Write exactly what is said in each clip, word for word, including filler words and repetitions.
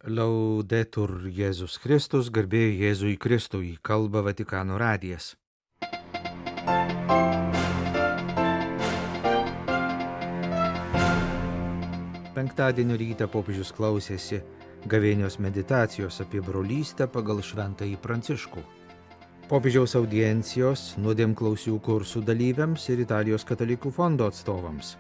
Laudetur Jėzus Kristus, garbė Jėzui Kristui, kalba Vatikano radijas. Penktadienio rytą popiežius klausėsi gavėnios meditacijos apie brolystę pagal šventąjį Pranciškų. Popiežiaus audiencijos nuodėmklausių kursų dalyviams ir Italijos katalikų fondo atstovams.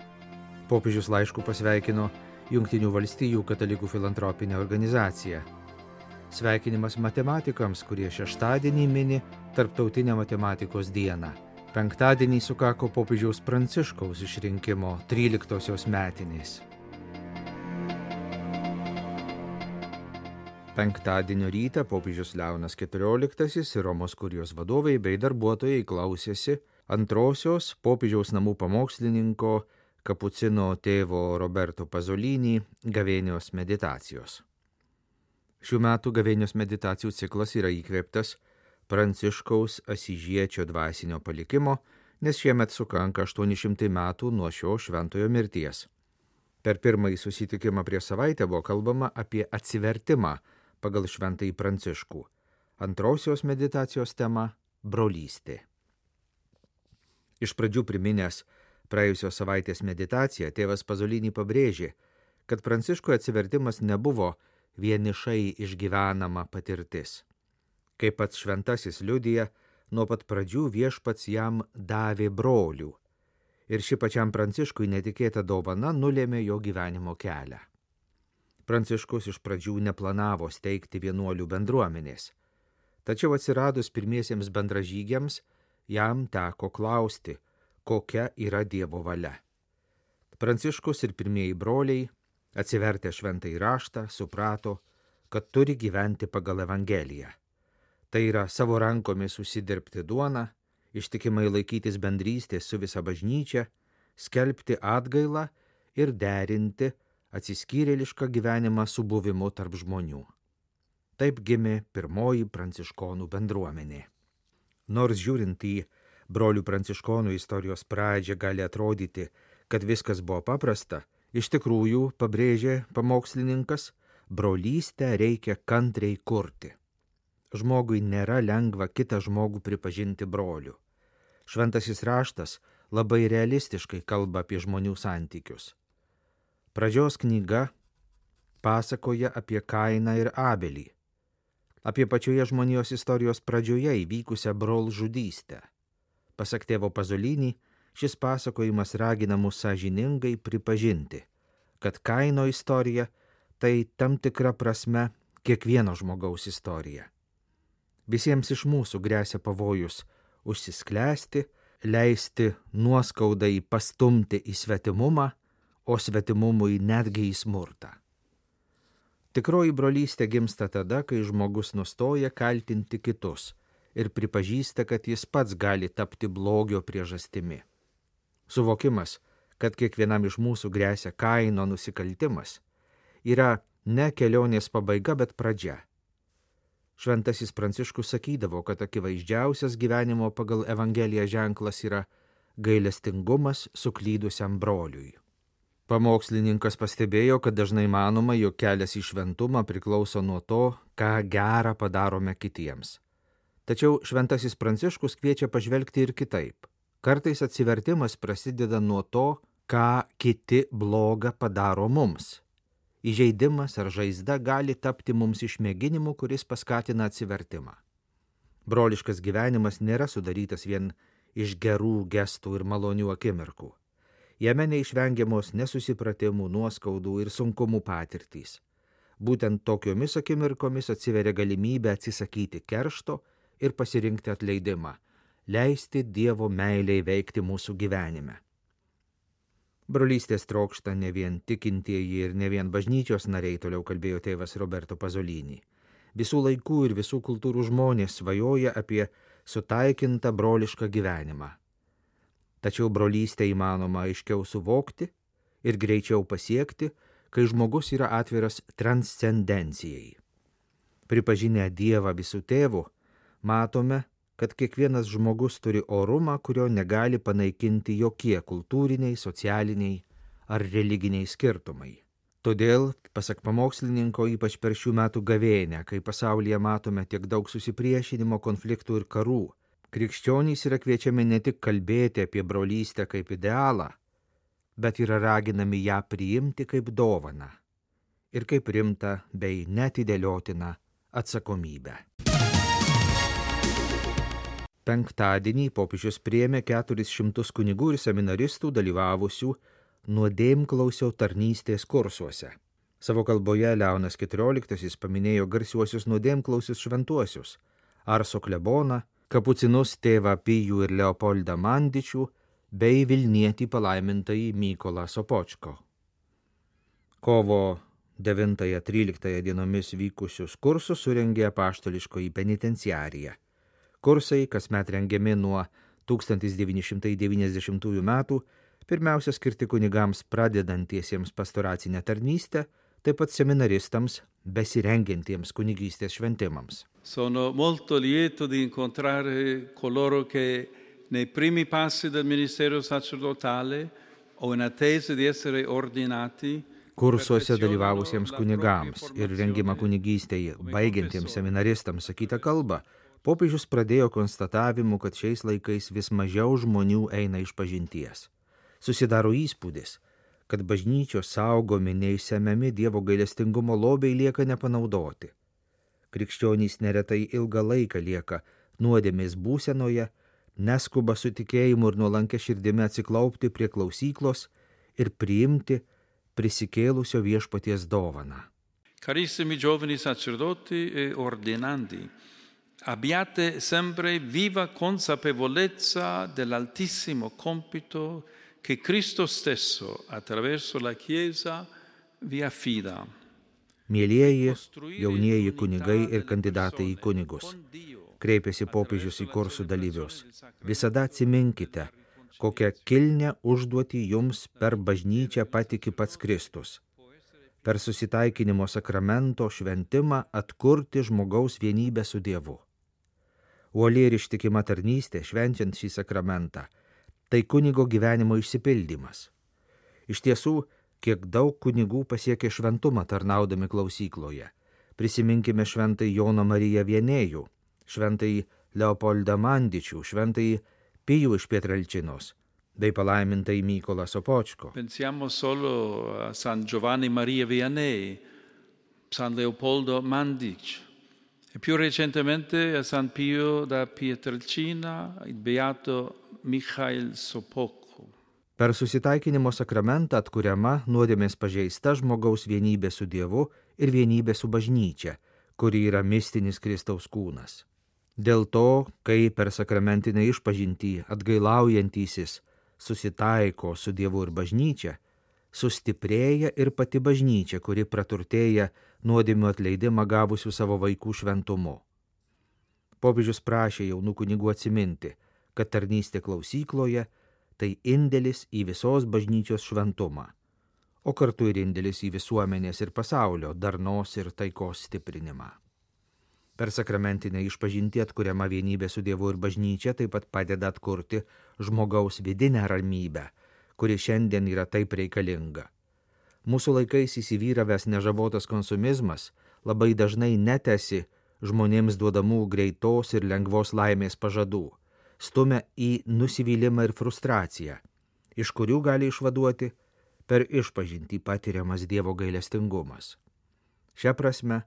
Popiežius laišku pasveikino Jungtinių valstijų katalikų filantropinę organizaciją. Sveikinimas matematikams, kurie šeštadienį mini Tarptautinę matematikos dieną. Penktadienį sukako popiežiaus Pranciškaus išrinkimo tryliktosios metinės. Penktadienio rytą popiežius Leonas keturioliktasis ir Romos kurijos vadovai bei darbuotojai klausėsi antrosios popiežiaus namų pamokslininko kapucino tėvo Roberto Pasolini gavėnios meditacijos. Šių metų gavėnios meditacijų ciklas yra įkvėptas Pranciškaus Asyžiečio dvasinio palikimo, nes šiemet sukanka aštuoni šimtai metų nuo šio šventojo mirties. Per pirmąjį susitikimą prieš savaitę buvo kalbama apie atsivertimą pagal šventąjį Pranciškų. Antrosios meditacijos tema – brolystė. Iš pradžių priminęs praėjusios savaitės meditaciją, tėvas Pasolini pabrėžė, kad Pranciškui atsivertimas nebuvo vienišai išgyvenama patirtis. Kaip pats šventasis liudija, nuo pat pradžių viešpats jam davė brolių. Ir ši pačiam Pranciškui netikėta dovana nulėmė jo gyvenimo kelią. Pranciškus iš pradžių neplanavo steigti vienuolių bendruomenės. Tačiau atsiradus pirmiesiems bendražygiams, jam teko klausti, kokia yra Dievo valia. Pranciškus ir pirmieji broliai, atsivertę šventąjį raštą, suprato, kad turi gyventi pagal Evangeliją. Tai yra savo rankomis užsidirbti duoną, ištikimai laikytis bendrystės su visa bažnyčia, skelbti atgailą ir derinti atsiskyrėlišką gyvenimą su buvimu tarp žmonių. Taip gimė pirmoji pranciškonų bendruomenė. Nors žiūrint į brolių pranciškonų istorijos pradžią gali atrodyti, kad viskas buvo paprasta, iš tikrųjų, pabrėžė pamokslininkas, brolystę reikia kantriai kurti. Žmogui nėra lengva kitą žmogų pripažinti broliu. Šventasis raštas labai realistiškai kalba apie žmonių santykius. Pradžios knyga pasakoja apie Kainą ir Abelį, apie pačioje žmonijos istorijos pradžioje įvykusią brolžudystę. Pasak tėvo Pasolini, šis pasakojimas ragina mus sąžiningai pripažinti, kad Kaino istorija tai tam tikra prasme kiekvieno žmogaus istorija. Visiems iš mūsų gresia pavojus užsisklęsti, leisti nuoskaudai pastumti į svetimumą, o svetimumui netgi į smurtą. Tikroji brolystė gimsta tada, kai žmogus nustoja kaltinti kitus ir pripažįsta, kad jis pats gali tapti blogio priežastimi. Suvokimas, kad kiekvienam iš mūsų gresia Kaino nusikaltimas, yra ne kelionės pabaiga, bet pradžia. Šventasis Pranciškus sakydavo, kad akivaizdžiausias gyvenimo pagal Evangeliją ženklas yra gailestingumas suklydusiam broliui. Pamokslininkas pastebėjo, kad dažnai manoma, jog kelias į šventumą priklauso nuo to, ką gerą padarome kitiems. Tačiau šventasis Pranciškus kviečia pažvelgti ir kitaip. Kartais atsivertimas prasideda nuo to, ką kiti bloga padaro mums. Įžeidimas ar žaizda gali tapti mums išmėginimu, kuris paskatina atsivertimą. Broliškas gyvenimas nėra sudarytas vien iš gerų gestų ir malonių akimirkų. Jame neišvengiamos nesusipratimų, nuoskaudų ir sunkumų patirtys. Būtent tokiomis akimirkomis atsiveria galimybė atsisakyti keršto ir pasirinkti atleidimą, leisti Dievo meilei veikti mūsų gyvenime. Brolystės trokšta ne vien tikintieji ir ne vien bažnyčios nariai, toliau kalbėjo tėvas Roberto Pasolini. Visų laikų ir visų kultūrų žmonės svajoja apie sutaikintą brolišką gyvenimą. Tačiau brolystę įmanoma aiškiau suvokti ir greičiau pasiekti, kai žmogus yra atviras transcendencijai. Pripažinę Dievą visų tėvų, matome, kad kiekvienas žmogus turi orumą, kurio negali panaikinti jokie kultūriniai, socialiniai ar religiniai skirtumai. Todėl, pasak pamokslininko, ypač per šių metų gavėnią, kai pasaulyje matome tiek daug susipriešinimo, konfliktų ir karų, krikščionys yra kviečiami ne tik kalbėti apie brolystę kaip idealą, bet yra raginami ją priimti kaip dovaną ir kaip rimtą bei neatidėliotiną atsakomybę. Penktadienį popiežius priėmė keturis šimtus kunigų ir seminaristų dalyvavusių nuodėmklausio tarnystės kursuose. Savo kalboje Leonas keturioliktasis paminėjo garsiuosius nuodėmklausius šventuosius – Arso kleboną, kapucinus tėvą Pijų ir Leopoldą Mandičių bei Vilnietį palaimintąjį Mykolą Sopočko. Kovo devintąją tryliktąją dienomis vykusius kursus surengė apaštališkoji penitenciarija. Kursai, kasmet rengiami nuo tūkstantis devyni šimtai devyniasdešimtųjų metų, pirmiausia skirti kunigams pradedantiesiems pastoracinę tarnystę, taip pat seminaristams besirengiantiems kunigystės šventimams. Sono molto lieto di incontrare coloro che nei primi passi del ministero sacerdotale o in attesa di essere ordinati. Kursuose dalyvavusiems kunigams ir rengimą kunigystėje baigiantiems seminaristams sakytą kalbą, popiežius pradėjo konstatavimu, kad šiais laikais vis mažiau žmonių eina išpažinties. Susidaro įspūdis, kad bažnyčios saugomi neišsemiami Dievo gailestingumo lobiai lieka nepanaudoti. Krikščionys neretai ilgą laiką lieka nuodėmės būsenoje, neskuba su tikėjimu ir nuolankia širdimi atsiklaupti prie klausyklos ir priimti prisikėlusio viešpaties dovaną. Carissimi giovani sacerdoti e ordinandi, abbiate sempre viva consapevolezza dell'altissimo compito che Cristo stesso attraverso la Chiesa vi affida. Mielieji, jaunieji kunigai ir kandidatai į kunigus, kreipėsi popiežius į kursų dalyvius. Visada atsiminkite, kokią kilnią užduotį jums per bažnyčią patiki pats Kristus. Per susitaikinimo sakramento šventimą atkurti žmogaus vienybę su Dievu. Uoli ir ištikima tarnystė švenčiant šį sakramentą – tai kunigo gyvenimo išsipildymas. Iš tiesų, kiek daug kunigų pasiekė šventumą tarnaudami klausykloje. Prisiminkime šventąjį Joną Mariją Vienėjų, šventąjį Leopoldą Mandičių, šventąjį Pijų iš Pietrelčinos, bei palaimintąjį Mykolą Sopočko. Pensiamo solo a San Giovanni Maria Vianney, San Leopoldo Mandic, e più recentemente a San Pio da Pietrelcina, il beato Michail Sopocko. Per susitaikinimo sakramentą atkuriama nuodėmės pažeista žmogaus vienybė su Dievu ir vienybė su bažnyčia, kuri yra mistinis Kristaus kūnas. Dėl to, kai per sakramentinę išpažintį atgailaujantysis susitaiko su Dievu ir bažnyčia, sustiprėja ir pati bažnyčia, kuri praturtėja nuodėmių atleidimą gavusių savo vaikų šventumu. Popiežius prašė jaunų kunigų atsiminti, kad tarnystė klausykloje tai indėlis į visos bažnyčios šventumą, o kartu ir indėlis į visuomenės ir pasaulio darnos ir taikos stiprinimą. Per sakramentinę išpažintį atkuriama vienybė su Dievu ir bažnyčia taip pat padeda atkurti žmogaus vidinę ramybę, kuri šiandien yra taip reikalinga. Mūsų laikais įsivyravęs nežabotas konsumizmas labai dažnai netesi žmonėms duodamų greitos ir lengvos laimės pažadų, stumia į nusivylimą ir frustraciją, iš kurių gali išvaduoti per išpažintį patiriamas Dievo gailestingumas. Šia prasme,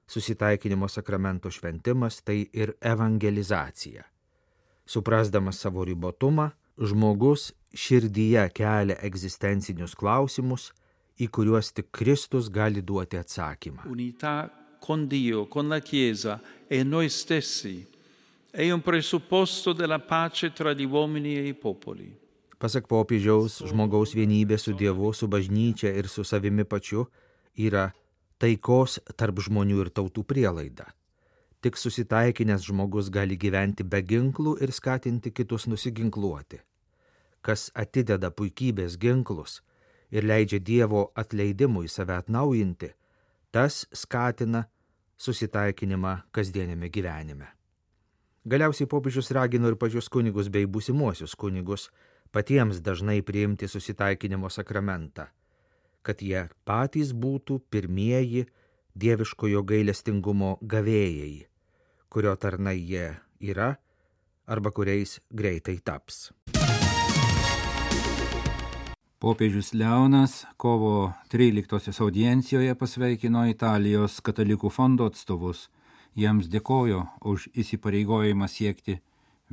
susitaikinimo sakramento šventimas tai ir evangelizacija. Suprasdamas savo ribotumą, žmogus širdyje kelia egzistencinius klausimus, į kuriuos tik Kristus gali duoti atsakymą. Unità con Dio, con la Chiesa e noi stessi è un presupposto della pace tra gli uomini e i popoli. Pasak popiežiaus, žmogaus vienybė su Dievu, su bažnyčia ir su savimi pačiu yra taikos tarp žmonių ir tautų prielaida. Tik susitaikinęs žmogus gali gyventi be ginklų ir skatinti kitus nusiginkluoti. Kas atideda puikybės ginklus ir leidžia Dievo atleidimui save atnaujinti, tas skatina susitaikinimą kasdienėme gyvenime. Galiausiai popiežius ragino ir pačius kunigus bei būsimuosius kunigus patiems dažnai priimti susitaikinimo sakramentą. kad jie patys būtų pirmieji dieviškojo gailestingumo gavėjai, kurio tarnai jie yra arba kuriais greitai taps. Popiežius Leonas kovo tryliktosios audiencijoje pasveikino Italijos katalikų fondo atstovus. Jiems dėkojo už įsipareigojimą siekti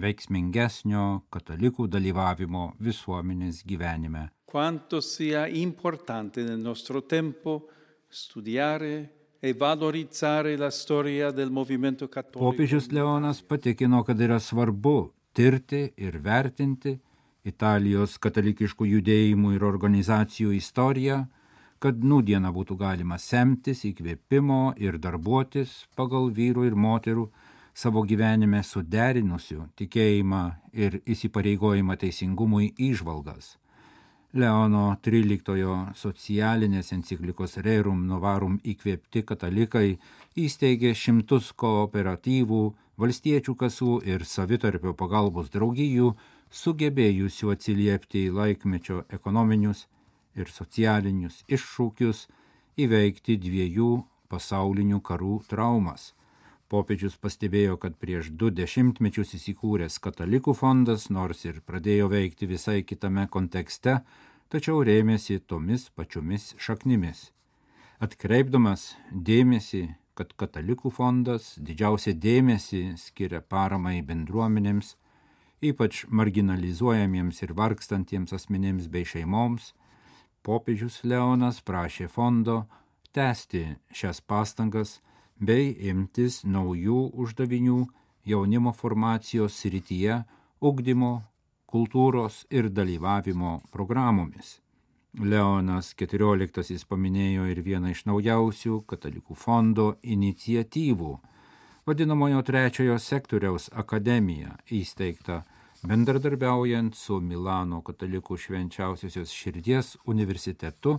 veiksmingesnio katalikų dalyvavimo visuomenės gyvenime. Quanto sia importante nel nostro tempo studiare e valorizzare la storia del movimento cattolico. Popiežius Leonas patikino, kad yra svarbu tirti ir vertinti Italijos katalikiškų judėjimų ir organizacijų istoriją, kad nūdieną būtų galima semtis įkvėpimo ir darbuotis pagal vyrų ir moterų savo gyvenime suderinusių tikėjimą ir įsipareigojimą teisingumui įžvalgas. Leono tryliktojo socialinės enciklikos Rerum Novarum įkvėpti katalikai įsteigė šimtus kooperatyvų, valstiečių kasų ir savitarpio pagalbos draugijų, sugebėjusių atsiliepti į laikmečio ekonominius ir socialinius iššūkius, įveikti dviejų pasaulinių karų traumas. Popiežius pastebėjo, kad prieš du dešimtmečius įsikūręs katalikų fondas, nors ir pradėjo veikti visai kitame kontekste, tačiau rėmėsi tomis pačiomis šaknimis. Atkreipdamas dėmesį, kad katalikų fondas didžiausia dėmesį skiria paramai bendruomenėms, ypač marginalizuojamiems ir vargstantiems asmenims bei šeimoms, popiežius Leonas prašė fondo tęsti šias pastangas bei imtis naujų uždavinių jaunimo formacijos srityje, ugdymo, kultūros ir dalyvavimo programomis. Leonas keturioliktasis paminėjo ir vieną iš naujausių katalikų fondo iniciatyvų, vadinamojo trečiojo sektoriaus akademiją, įsteigtą bendradarbiaujant su Milano katalikų švenčiausiosios širdies universitetu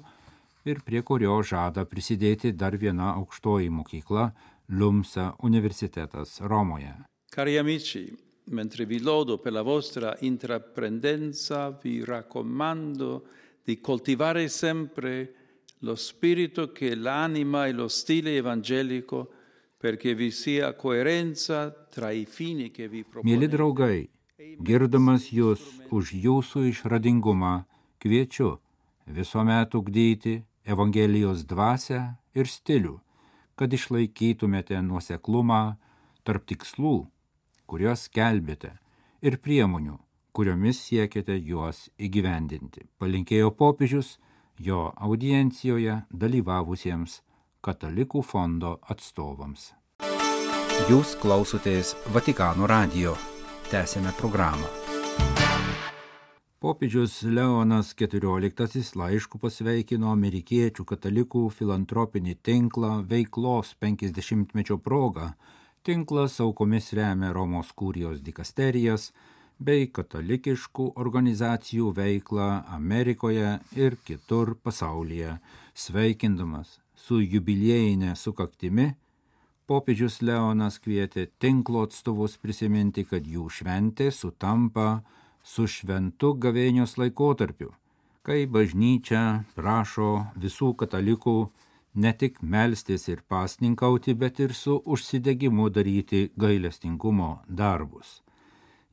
ir prie kurio žada prisidėti dar viena aukštoji mokykla Lumsa universitetas Romoje. Cari amici, mentre vi lodo per la vostra intraprendenza, vi raccomando di coltivare sempre lo spirito che l'anima e lo stile evangelico perché vi sia coerenza tra i fini che vi proponete. Mieli draugai, girdamas jūs už jūsų išradingumą, kviečiu visuomet ugdyti Evangelijos dvasią ir stilių, kad išlaikytumėte nuoseklumą tarp tikslų, kuriuos skelbėte, ir priemonių, kuriomis siekite juos įgyvendinti. Palinkėjo popiežius jo audiencijoje dalyvavusiems katalikų fondo atstovams. Jūs klausotės Vatikano radijo. Tęsėme programą. Popiežius Leonas keturioliktasis laišku pasveikino amerikiečių katalikų filantropinį tinklą veiklos penkiasdešimtmečio proga. Tinklas aukomis remia Romos kurijos dikasterijas bei katalikiškų organizacijų veiklą Amerikoje ir kitur pasaulyje. Sveikindamas su jubiliejinė sukaktimi, popiežius Leonas kvietė tinklo atstovus prisiminti, kad jų šventė sutampa su šventu gavėnios laikotarpiu, kai bažnyčia prašo visų katalikų ne tik melstis ir pasninkauti, bet ir su užsidegimu daryti gailestingumo darbus.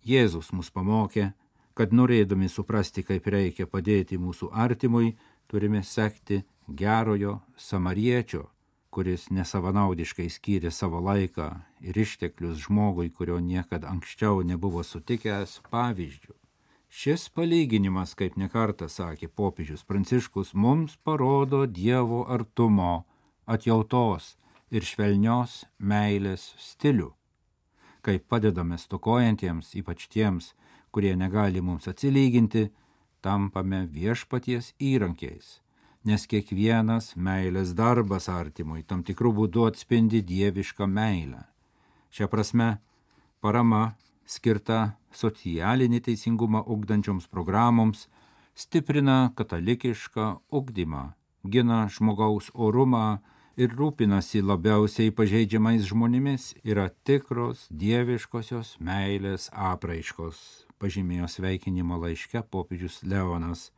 Jėzus mus pamokė, kad norėdami suprasti, kaip reikia padėti mūsų artimui, turime sekti gerojo samariečio, kuris nesavanaudiškai skyrė savo laiką ir išteklius žmogui, kurio niekad anksčiau nebuvo sutikęs, pavyzdžių. Šis palyginimas, kaip nekartą sakė popiežius Pranciškus, mums parodo Dievo artumo, atjautos ir švelnios meilės stilių. Kai padedame stokojantiems, ypač tiems, kurie negali mums atsilyginti, tampame viešpaties įrankiais, nes kiekvienas meilės darbas artimui tam tikrų būdų atspindi dievišką meilę. Šia prasme, parama skirta socialinį teisingumą ugdančioms programoms stiprina katalikišką ugdymą, gina žmogaus orumą ir rūpinasi labiausiai pažeidžiamais žmonėmis, yra tikros dieviškosios meilės apraiškos, pažymėjo sveikinimo laiške popiežius Leonas.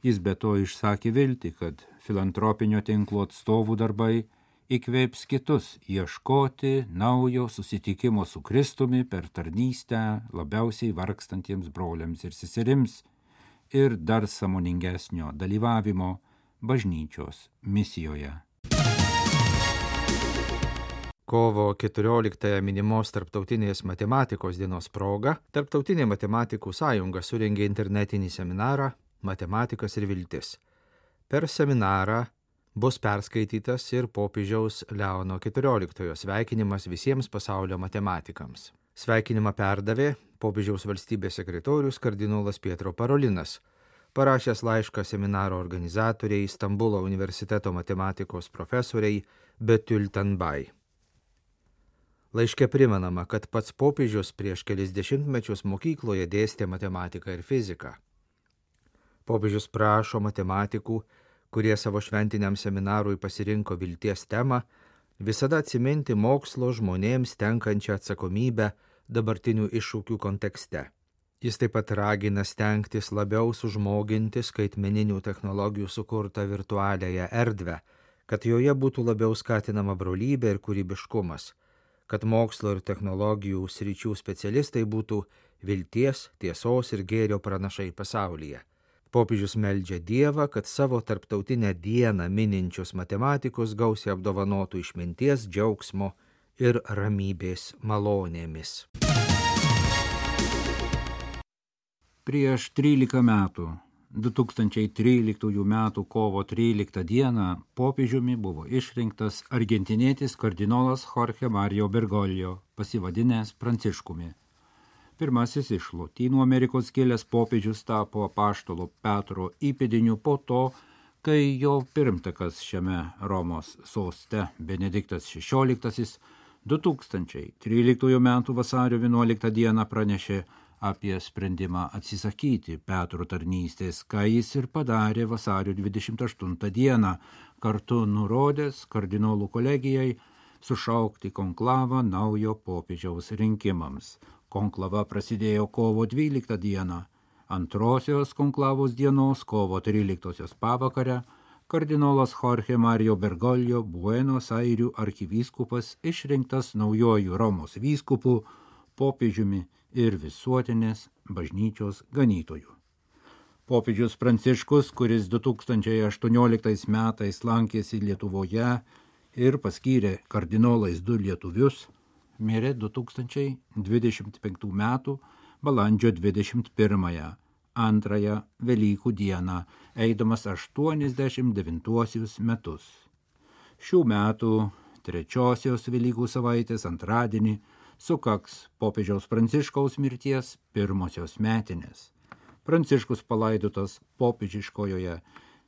Jis be to išsakė viltį, kad filantropinio tinklo atstovų darbai įkvėps kitus ieškoti naujo susitikimo su Kristumi per tarnystę labiausiai vargstantiems broliams ir seserims ir dar sąmoningesnio dalyvavimo bažnyčios misijoje. Kovo keturioliktąją minimos Tarptautinės matematikos dienos proga Tarptautinė matematikų sąjunga surengė internetinį seminarą Matematikas ir viltis. Per seminarą bus perskaitytas ir popiežiaus Leono keturioliktojo sveikinimas visiems pasaulio matematikams. Sveikinimą perdavė popiežiaus valstybės sekretorius kardinolas Pietro Parolinas, parašęs laišką seminaro organizatoriai Stambulo universiteto matematikos profesoriai Betül Tanbai. Laiške primenama, kad pats popiežius prieš kelis dešimtmečius mokykloje dėstė matematiką ir fiziką. Popiežius prašo matematikų, kurie savo šventiniam seminarui pasirinko vilties temą, visada atsiminti mokslo žmonėms tenkančią atsakomybę dabartinių iššūkių kontekste. Jis taip pat ragina stengtis labiau sužmoginti skaitmeninių technologijų sukurtą virtualiąją erdvę, kad joje būtų labiau skatinama brolybė ir kūrybiškumas, kad mokslo ir technologijų sričių specialistai būtų vilties, tiesos ir gėrio pranašai pasaulyje. Popiežius meldžia Dievą, kad savo tarptautinę dieną mininčius matematikus gausiai apdovanotų išminties, džiaugsmo ir ramybės malonėmis. Prieš trylika metų, du tūkstančiai tryliktųjų metų kovo tryliktą dieną, popiežiumi buvo išrinktas argentinietis kardinolas Jorge Mario Bergoglio, pasivadinęs Pranciškumi. Pirmasis iš Lotynų Amerikos kilęs popiežius tapo apaštalo Petro įpėdiniu po to, kai jo pirmtakas šiame Romos soste Benediktas šešioliktasis du tūkstančiai tryliktųjų metų vasario vienuoliktą dieną pranešė apie sprendimą atsisakyti Petro tarnystės, ką jis ir padarė vasario dvidešimt aštuntą dieną, kartu nurodęs kardinolų kolegijai sušaukti konklavą naujo popiežiaus rinkimams. Konklava prasidėjo kovo dvyliktą dieną. Antrosios konklavos dienos, kovo tryliktosios pavakarę, kardinolas Jorge Mario Bergoglio, Buenos Airių arkivyskupas, išrinktas naujojų Romos vyskupų, popiežiumi ir visuotinės bažnyčios ganytojų. Popiežius Pranciškus, kuris du tūkstančiai aštuonioliktais metais lankėsi Lietuvoje ir paskyrė kardinolais du lietuvius, mirė du tūkstančiai dvidešimt penktų metų balandžio dvidešimt pirmąją, antrąją Velykų dieną, eidamas aštuoniasdešimt devintuosius metus. Šių metų trečiosios Velykų savaitės antradienį sukaks popiežiaus Pranciškaus mirties pirmosios metinės. Pranciškus palaidotas popiežiškojoje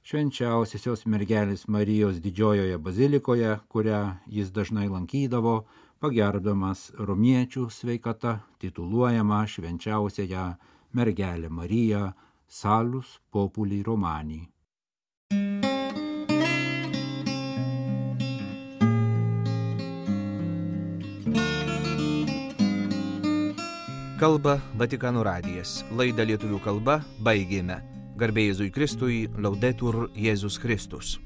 švenčiausiosios mergelės Marijos didžiojoje bazilikoje, kurią jis dažnai lankydavo, pagerbdamas romiečių sveikata, tituluojama švenčiausiąją mergelę Mariją Salus Populi Romani. Kalba Vatikano radijas. Laidą lietuvių kalba baigėme. Garbė Jėzui Kristui, Laudetur Jėzus Kristus.